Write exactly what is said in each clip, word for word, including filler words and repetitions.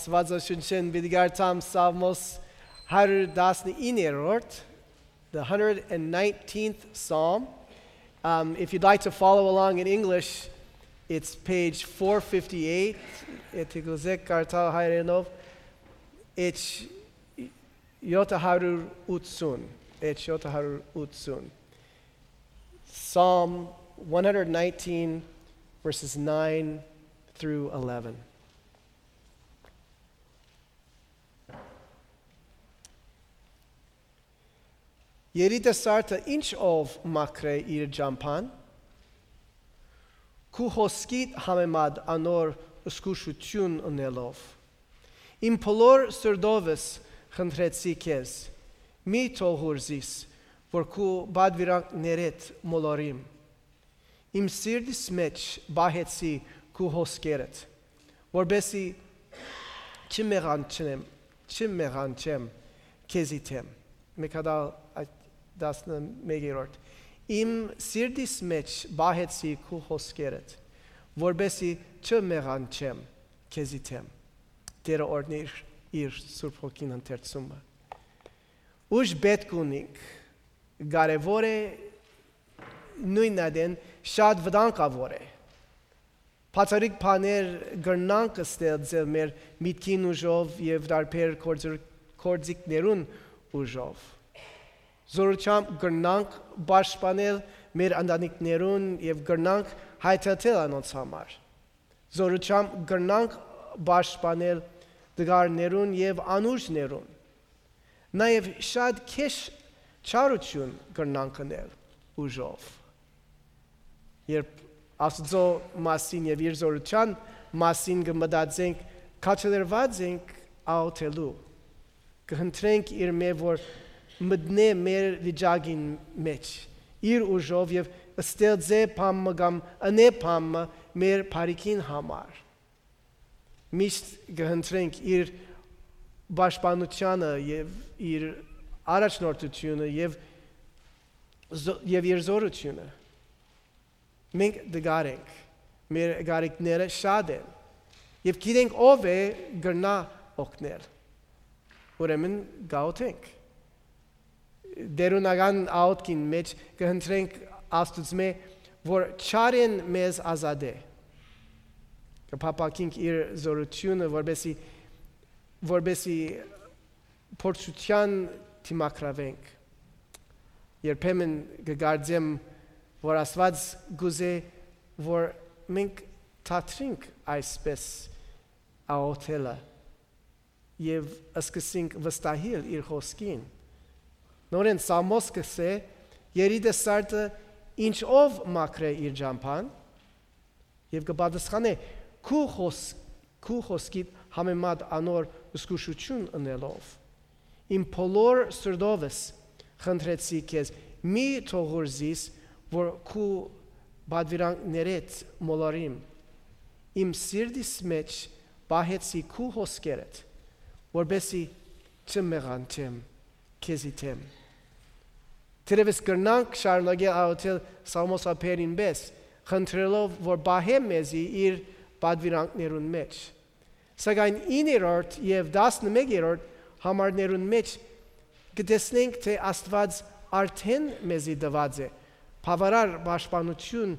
Svadzoshunshin Vidigartam Psalmos one nineteen, the one hundred nineteenth Psalm. Um, if you'd like to follow along in English, it's page four fifty-eight. It's Yotaharur Utsun. It's Yotaharur Utsun. Psalm one hundred nineteen, verses nine through eleven. Երիտասարդը ինչ ով մաքրե իր ջամփան, քու հոսքիդ համեմատ անոր զգուշություն ունելով, իմ բոլոր սրտովս խնդրեցի քեզ, մի թողուրզիս, որ քու բադվիրանքներդ մոլորիմ, իմ սիրտիս մեջ բահեցի քու հոսքերդ, որբեսի չմեղանչեմ, չմեղանչեմ քեզի թեմ, մեկադալ տասնմեկերորդ Իմ սիրտիս մեջ բահեցի քու հոսքերդ, որբեսի չմեղանչեմ քեզի թեմ։ Տերը օրհնիր իր Սուրբ Հոգին ընթերցումը։ Ուժ պետք ունենք, կարևոր է նույնադեն շատ վտանգավոր է։ Բացառիկ բաներ գրնանք ստեղծել մեր միտքին ուժով եւ դարբեր գործիքներուն ուժով։ Զորությամբ գրնանք պաշտպանել մեր ընտանիքներուն եւ գրնանք հայտարարել անոնց համար։ Զորությամբ գրնանք պաշտպանել դգարներուն եւ անուրջներուն։ Նաեւ շատ քեշ չարություն գրնանք անել ուժով։ Երբ Աստծո մասին եւ իր զորության մասին կմտածենք, քաչելրված ենք աուտելու։ Կհնդրենք իր մե որ մտնե մեր վիճակին մեջ, իր ուժով եւ ստեղծե բամը կամ անե բամը մեր բարիքին համար։ Միշտ կհնդրենք իր պաշտպանությունը եւ իր առաջնորդությունը եւ եւ իր զորությունը։ Մենք դգարենք, մեր գարիկները շատ են եւ գիտենք ով է գրնա օգնել։ Ուրեմն գաուտենք։ Դերունական աուտքին մեջ կհնդրենք Աստծո որ չարեն մեզ ազատե։ Կփապակենք իր զորությունը, որբեսի որբեսի փորձության դիմակրավենք։ Երբեմն կգարձեմ, որ Աստված գուզե, որ մենք թատրենք այսպես աուտելը եւ սկսենք վստահել իր խոսքին։ Նորեն Սամոս կսե երիտասարդը ինչ ով մաքրե իր ջամփան եւ կպատասխանե քու խոս քու խոսքիդ համեմատ անոր զգուշություն ունելով իմ բոլոր սրտովս խնդրեցի քեզ մի թողուրզիս որ քու բադվիրանքներդ մոլորիմ իմ սիրտիս մեջ բահեցի քու հոսքերդ որբեսի չմեղանչեմ քեզի թեմ Թերևս կրնանք շարունակել աուտել Սամոսապերին պես, խնդրելով, որ բահե մեզի իր բադվիրանքներուն մեջ։ Սակայն իններորդ եւ տասնմեկերորդ համարներուն մեջ կտեսնենք, թե Աստված արդեն մեզի տված է, բավարար պաշտպանություն,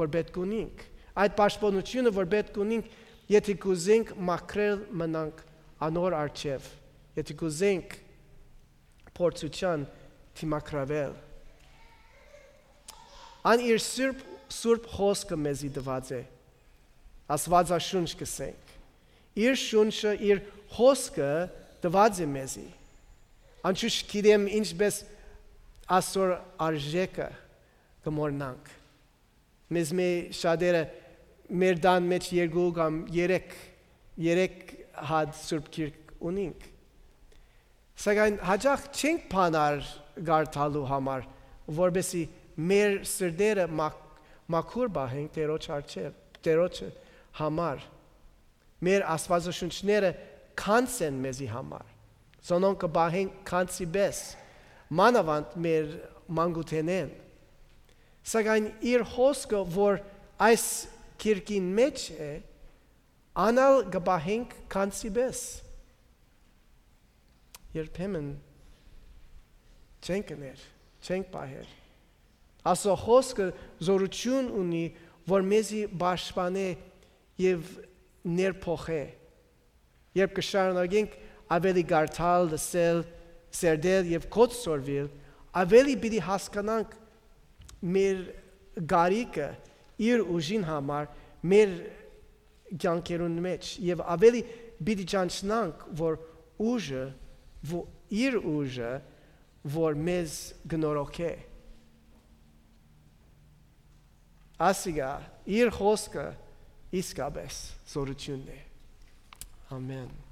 որ պետք ունենք։ Այդ պաշտպանությունը, որ պետք ունենք, եթե կուզենք մաքրել մնանք անոր առջև, եթե կուզենք փորձության Թիմակրավել։ Ան իր սուրբ սուրբ խոսքը մեզի տված է։ Աստվածաշունչ կսենք։ Իր շունչը, իր խոսքը տված է մեզի։ Անշուշտ գիտեմ ինչպես ասոր արժեքը կմոռնանք։ Մեզ մե շատերը մեր դան մեջ երկու կամ երեք երեք հատ սուրբ գիրք ունենք։ Սակայն հաջող չենք բանար գարտալու համար, որբեսի մեր սրտերը մաքուր բահենք Տերոջ առջև, Տերոջը համար։ Մեր աստվածաշունչները քանց են մեզի համար։ Զոնոն կբահենք քանցի պես, մանավանդ մեր մանկութենեն։ Սակայն իր խոսքը, որ այս գիրքին մեջ է, Անալ գբահենք քանցիբես։ Երբեմն չենք ներ, չենք պահեր։ Աստծո խոսքը զորություն ունի, որ մեզի պաշտպանե եւ ներփոխե։ Երբ կշարունակենք ավելի գարթալ, լսել, սերդել եւ կոծորվել, ավելի պիտի հասկանանք մեր գարիկը իր ուժին համար, մեր կյանքերուն մեջ եւ ավելի պիտի ճանչնանք, որ ուժը, որ իր ուժը, որ մեզ գնորոքե։ Ասիգա իր խոսքը իսկապես զորությունն է։ Ամեն։